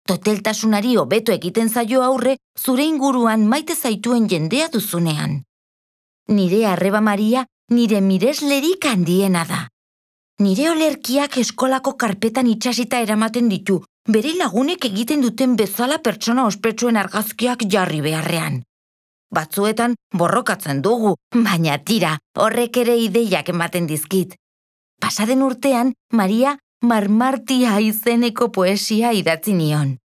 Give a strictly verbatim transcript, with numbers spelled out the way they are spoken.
Toteltasunari hobeto egiten zaio aurre zure inguruan maite zaituen jendea duzunean. Nire arreba Maria nire mireslerik handiena da. Nire olerkiak eskolako karpetan itxasita eramaten ditu, bere lagunek egiten duten bezala pertsona ospetsuen argazkiak jarri beharrean. Batzuetan borrokatzen dugu, baina tira, horrek ere ideiak ematen dizkit. Pasaden urtean, Maria Marmartia izeneko poesia idatzi nion.